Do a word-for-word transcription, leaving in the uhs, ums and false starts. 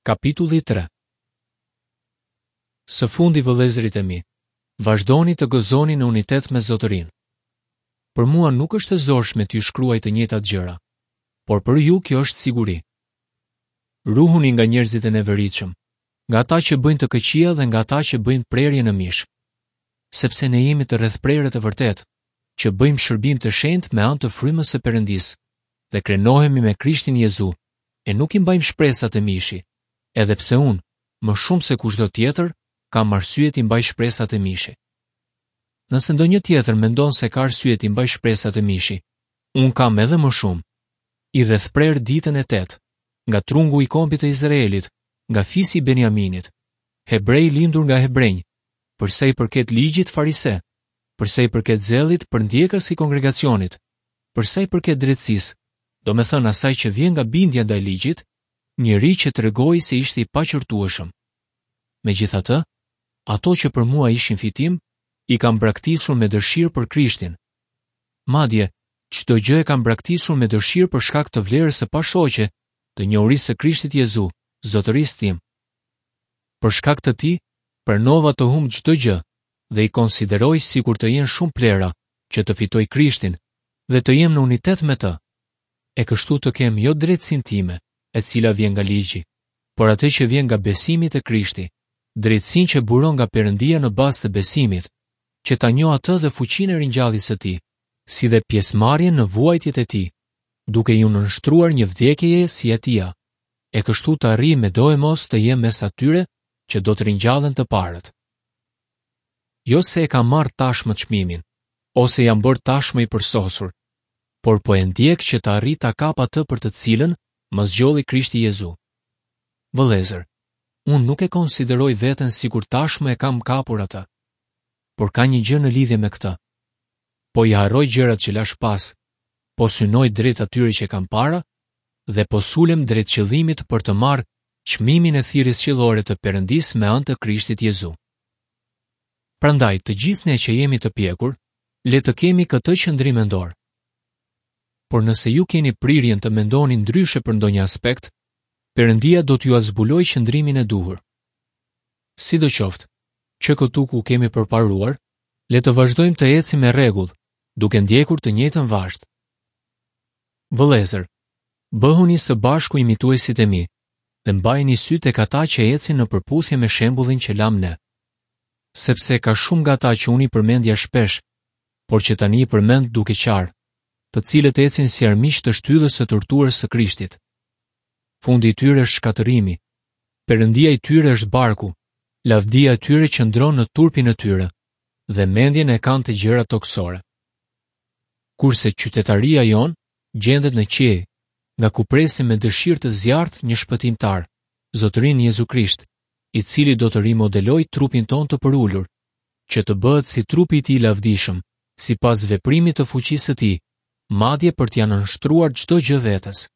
Kapitulli tre. Së fundi, vëllezërit e mi, vazhdoni të gëzoni në unitet me Zotërinë. Për mua nuk është e zorshme t'ju shkruaj të njëjtat gjëra, por për ju kjo është siguri. Ruhuni nga njerëzit e neveritshëm, nga ata që bëjnë të këqija dhe nga ata që bëjnë prerje në mish. Sepse ne jemi të rrethprerët e vërtetë, që bëjmë shërbim të shenjtë me anë të frymës së Perëndisë dhe krenohemi me Krishtin Jezu, e nuk i mbajmë shpresat e mishi, edhe pse unë, më shumë se kushdo tjetër, kam arsye t'i mbaj shpresat e mishi. Nëse ndonjë tjetër mendon se ka arsye t'i mbaj shpresat e mishi, unë kam edhe më shumë. I rrethprer ditën e tetë, nga trungu i kombit të Izraelit, nga fisi i Benjaminit, hebrej lindur nga hebrenj, për sa i përket ligjit farise, për sa i përket zellit përndjekës i kongregacionit, për sa i përket drejtësisë, domethënë asaj që vjen nga bindja ndaj ligjit, njeri që tregoi se ishte i paqërtueshëm. Megjithatë, ato që për mua ishin fitim, i kam braktisur me dëshirë për Krishtin. Madje, çdo gjë e kam braktisur me dëshirë për shkak të vlerës së pashoqe të njohurisë së Krishtit Jezu, Zotërisë tim. Për shkak të tij, pranova të humb çdo gjë dhe i konsideroj sikur të jenë shumë plera që të fitoj Krishtin dhe të jem në unitet me të. E kështu të kem jo drejtësinë time, e cila vjen nga ligji, por atë që vjen nga besimi te Krishti, drejtësinë që buron nga Perëndia në bazë të besimit, që ta njoh atë dhe fuqinë e ringjalljes së tij, si dhe pjesëmarrjen në vuajtjet e tij, duke iu nënshtruar një vdekjeje si e tija, e kështu të arrij me doemos të jem mes atyre që do të ringjallen të parët. Jo se e kam marrë tashmë çmimin, ose jam bërë tashmë i përsosur, por po e ndjek që të arrij ta kap atë për të cilën më zgjolli Krishti Jezu. Vëllezër, unë nuk e konsideroj veten sikur tashmë e kam kapur atë, por ka një gjë në lidhje me këtë. Po i harroj gjërat që lash pas, po synoj drejt atyre që kam para dhe po sulem drejt qëllimit për të marrë çmimin e thirrjes qiellore të Perëndisë me anë të Krishtit Jezu. Prandaj, të gjithë ne që jemi të pjekur, le të kemi këtë qëndrim mendor. Por nëse ju keni prirjen të mendoni ndryshe për ndonjë aspekt, Perëndia do t'jua zbulojë qëndrimin e duhur. Sidoqoftë, që këtu ku kemi përparuar, le të vazhdojmë të ecim me rregull, duke ndjekur të njëjtën vazhdë. Vëllezër, bëhuni së bashku imituesit e mi dhe mbajini sy tek ata që ecin në përputhje me shembullin që lam ne. Sepse ka shumë nga ata që unë i përmendja shpesh, por që tani i përmend duke qarë, të cilët ecin si armiq të shtyllës së torturës së Krishtit. Fundi i tyre është shkatërrimi, Perëndia i tyre është barku, lavdia e tyre qëndron në turpin e tyre dhe mendjen e kanë të gjëra tokësore. Kurse qytetaria jonë gjendet në qiej, nga ku presim me dëshirë të zjarrt një shpëtimtar, Zotërin Jezu Krisht, i cili do të rimodelojë trupin tonë të përulur, që të bëhet si trupi i tij i lavdishëm, sipas veprimit të fuqisë së tij, madje për t'ia nënshtruar çdo gjë vetes.